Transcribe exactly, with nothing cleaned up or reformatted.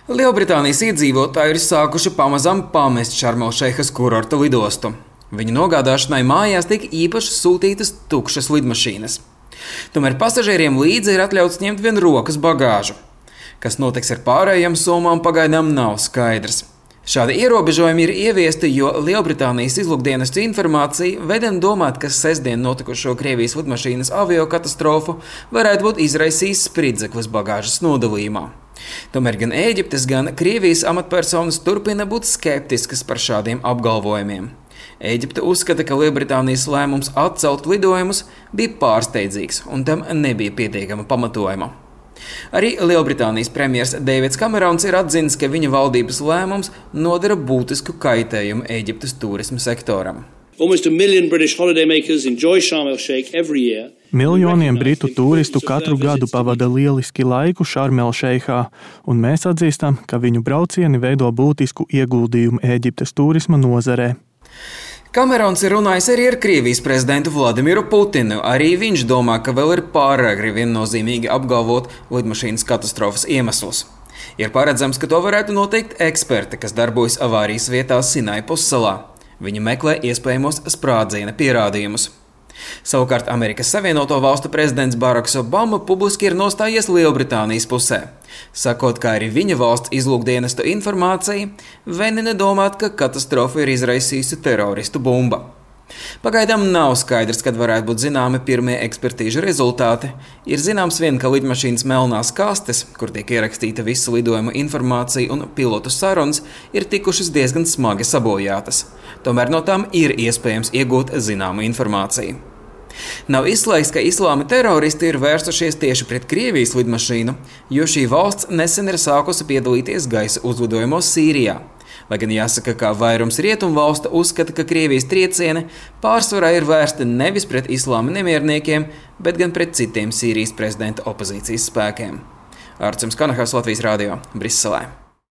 Lielbritānijas iedzīvotāji ir sākuši pamazām pamest Šarmelšeikas kurorta lidostu. Viņu nogādāšanai mājās tika īpaši sūtītas tukšas lidmašīnas. Tomēr pasažieriem līdzi ir atļauts ņemt vien rokas bagāžu. Kas notiks ar pārējām somām, pagaidām nav skaidrs. Šādi ierobežojumi ir ieviesti, jo Lielbritānijas izlūkdienestu informācija vedina domāt, ka sestdien notikušo Krievijas lidmašīnas aviokatastrofu varētu būt izraisījis spridzeklis bagāžas nodalījumā. Tomēr gan Ēģiptes, gan Krievijas amatpersonas turpina būt skeptiskas par šādiem apgalvojumiem. Ēģipte uzskata, ka Lielbritānijas lēmums atcelt lidojumus bija pārsteidzīgs un tam nebija pietiekama pamatojuma. Arī Lielbritānijas premjers Deivids Kamerons ir atzinis, ka viņa valdības lēmums nodara būtisku kaitējumu Ēģiptes turisma sektoram. Miljoniem britu turistu katru gadu pavada lieliski laiku Šarmelšeikā, un mēs atzīstam, ka viņu braucieni veido būtisku ieguldījumu Ēģiptes turisma nozarē. Kamerons ir runājis arī ar Krievijas prezidentu Vladimiru Putinu. Arī viņš domā, ka vēl ir pāragri viennozīmīgi apgalvot lidmašīnas katastrofas iemeslus. Ir paredzams, ka to varētu noteikt eksperti, kas darbojas avārijas vietā Sinai pussalā. Viņi meklē iespējamos sprādziena pierādījumus. Savukārt Amerikas Savienoto Valstu prezidents Baraks Obama publiski ir nostājies Lielbritānijas pusē, sakot, ka arī viņa valsts izlūkdienestu informācija venina domāt, ka katastrofu ir izraisījusi teroristu bumba. Pagaidām nav skaidrs, kad varētu būt zināmi pirmie ekspertīžu rezultāti. Ir zināms vien, ka lidmašīnas melnās kastes, kur tiek ierakstīta visa lidojuma informācija un pilotu sarunas, ir tikušas diezgan smagi sabojātas. Tomēr no tām ir iespējams iegūt zināmu informāciju. Nav izslēgts, ka islāma teroristi ir vērsušies tieši pret Krievijas lidmašīnu, jo šī valsts nesen ir sākusi piedalīties gaisa uzlidojumos Sīrijā. Lai gan jāsaka, ka vairums rietumu valstu uzskata, ka Krievijas triecieni pārsvarā ir vērsti nevis pret islāma nemierniekiem, bet gan pret citiem Sīrijas prezidenta opozīcijas spēkiem. Arcums Kanahas, Latvijas radio, Briselē.